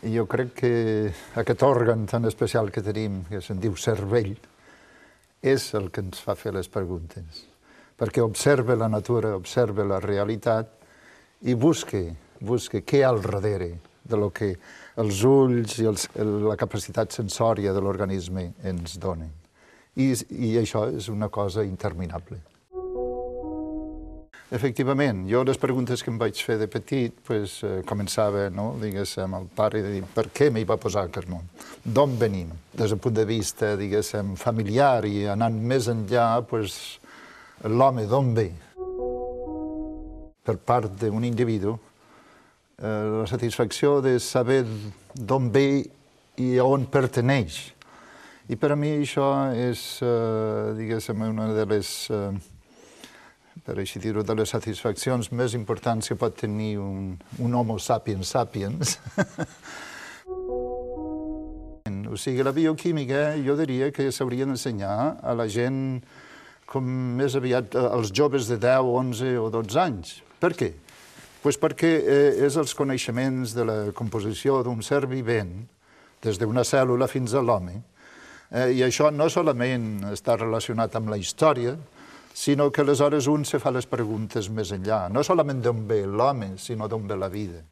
Jo crec que aquest òrgan tan especial que tenim, que se'n diu cervell, és el que ens fa fer les preguntes, perquè observa la natura, observa la realitat i busca què hi ha al darrere de lo que els ulls i la capacitat sensòria de l'organisme ens donen. I això és una cosa interminable. Efectivament, jo les preguntes que em vaig fer de petit començava, diguéssim, el pare de dir per què m'hi va posar aquest món, d'on venim, des del punt de vista, diguéssim, familiar i anant més enllà, l'home d'on ve. Per part d'un individu, la satisfacció de saber d'on ve i a on perteneix. I per a mi això és, diguéssim, una de les per així dir-ho, de les satisfaccions més importants que pot tenir un homo sapiens sapiens. O sigui, la bioquímica jo diria que s'hauria d'ensenyar a la gent com més aviat als joves de 10, 11 o 12 anys. Per què? Perquè és els coneixements de la composició d'un ser vivent, des d'una cèl·lula fins a l'home, i això no solament està relacionat amb la història, sinó que aleshores un se fa les preguntes més enllà, no solament d'on ve l'home, sinó d'on ve la vida.